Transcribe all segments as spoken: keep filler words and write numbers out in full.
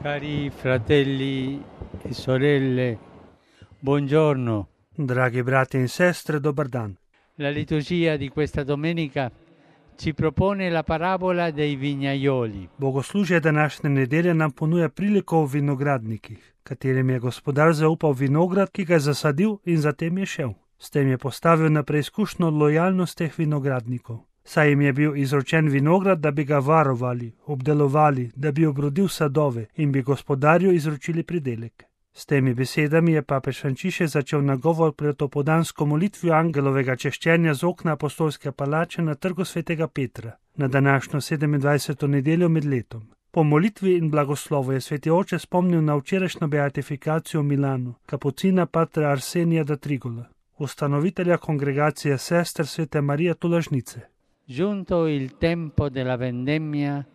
Cari fratelli e sorelle, buongiorno. Dragi brati in sestre, dobar dan. La liturgia di questa domenica ci propone la parabola dei vignaioli. Bogoslužje današnje nedelje nam ponuja priliko o vinogradnikih, katerim je gospodar zaupal vinograd, ki ga je zasadil in zatem je šel. S tem je postavil na preizkušnjo lojalnost teh vinogradnikov. Saj jim je bil izročen vinograd, da bi ga varovali, obdelovali, da bi obrodil sadove in bi gospodarju izročili pridelek. S temi besedami je papež Frančišek začel nagovor pred opoldansko molitvijo angelovega češčenja z okna apostolske palače na trgu svetega Petra, na današnjo sedemindvajseto nedeljo med letom. Po molitvi in blagoslovu je sveti oče spomnil na včerajšnjo beatifikacijo v Milanu, kapucina patra Arsenija da Trigola, ustanovitelja kongregacije sester svete Marije Tolažnice. Giunto il tempo della vendemmia,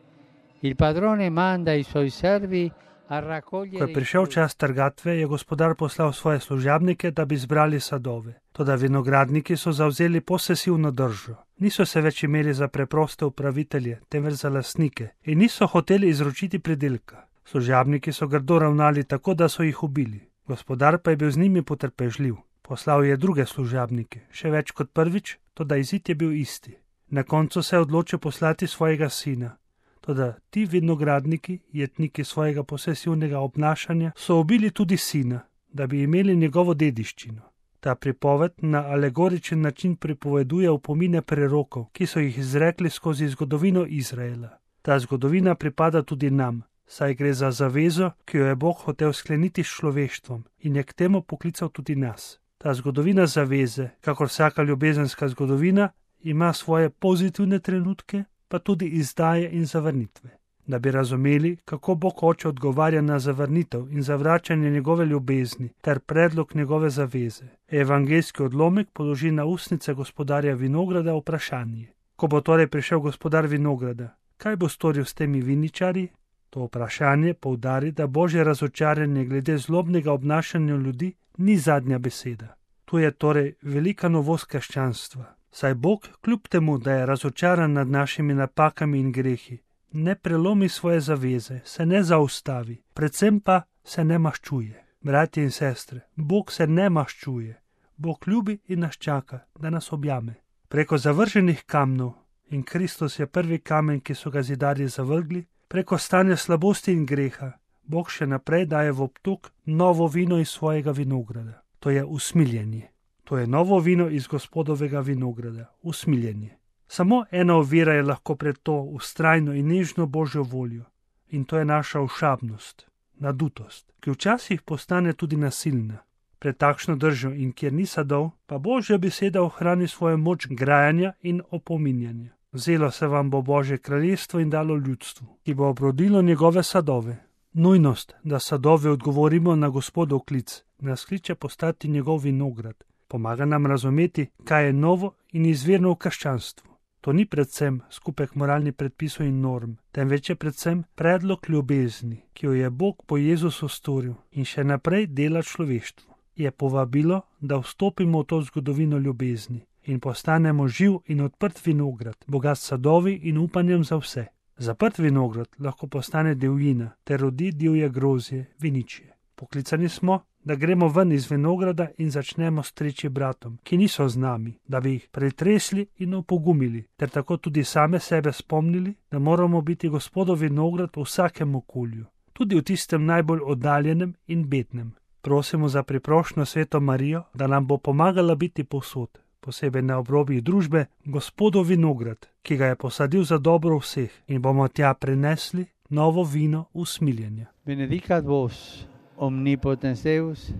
il padrone manda i suoi servi a raccogliere. Ko je prišel čas trgatve, je gospodar poslal svoje služabnike, da bi zbrali sadove. Toda vinogradniki so zavzeli posesivno držo. Niso se več imeli za preproste upravitelje, temveč za lastnike, in niso hoteli izročiti pridelka. Služabniki so grdo ravnali tako, da so jih ubili. Gospodar pa je bil z njimi potrpežljiv. Poslal je druge služabnike, še več kot prvič, toda izid je bil isti. Na koncu se je odločil poslati svojega sina. Toda ti vinogradniki, jetniki svojega posesivnega obnašanja, so ubili tudi sina, da bi imeli njegovo dediščino. Ta pripoved na alegoričen način pripoveduje opomine prerokov, ki so jih izrekli skozi zgodovino Izraela. Ta zgodovina pripada tudi nam, saj gre za zavezo, ki jo je Bog hotel skleniti s človeštvom in je k temu poklical tudi nas. Ta zgodovina zaveze, kakor vsaka ljubezenska zgodovina, ima svoje pozitivne trenutke, pa tudi izdaje in zavrnitve. Da bi razumeli, kako Bog oče odgovarja na zavrnitev in zavračanje njegove ljubezni ter predlog njegove zaveze, evangeljski odlomek položi na ustnice gospodarja vinograda vprašanje. Ko bo torej prišel gospodar vinograda, kaj bo storil s temi viničarji? To vprašanje poudari, da Božje razočaranje glede zlobnega obnašanja ljudi ni zadnja beseda. Tu je torej velika novost krščanstva. Saj Bog, kljub temu, da je razočaran nad našimi napakami in grehi, ne prelomi svoje zaveze, se ne zaustavi, predvsem pa se ne maščuje. Bratje in sestre, Bog se ne maščuje. Bog ljubi in nas čaka, da nas objame. Preko zavrženih kamnov, in Kristus je prvi kamen, ki so ga zidarji zavrgli, preko stanja slabosti in greha, Bog še naprej daje v obtok novo vino iz svojega vinograda. To je usmiljenje. To je novo vino iz gospodovega vinograda, usmiljenje. Samo ena ovira je lahko pred to vztrajno in nežno Božjo voljo, in to je naša ošabnost, nadutost, ki včasih postane tudi nasilna. Pred takšno držo in kjer ni sadov, pa Božja beseda ohrani svojo moč grajanja in opominjanja. Vzelo se vam bo Božje kraljestvo in dalo ljudstvu, ki bo obrodilo njegove sadove. Nujnost, da sadove odgovorimo na Gospodov klic, nas kliče postati njegov vinograd. Pomaga nam razumeti, kaj je novo in izvirno v krščanstvu. To ni predvsem skupek moralnih predpisov in norm, temveč je predvsem predlog ljubezni, ki jo je Bog po Jezusu storil in še naprej dela človeštvu. Je povabilo, da vstopimo v to zgodovino ljubezni in postanemo živ in odprt vinograd, bogat sadovi in upanjem za vse. Zaprt vinograd lahko postane divjina ter rodi divje grozje, viničje. Poklicani smo, da gremo ven iz vinograda in začnemo streči bratom, ki niso z nami, da bi jih pretresli in opogumili, ter tako tudi same sebe spomnili, da moramo biti Gospodov vinograd v vsakem okolju, tudi v tistem najbolj oddaljenem in bednem. Prosimo za priprošnjo sveto Marijo, da nam bo pomagala biti povsod, posebej na obrobjih družbe, Gospodov vinograd, ki ga je posadil za dobro vseh, in bomo tja prinesli novo vino usmiljenja. Benedicat vos omnipotens Deus,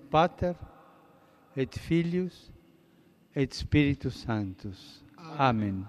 Pater et Filius et Spiritus Sanctus. Amen.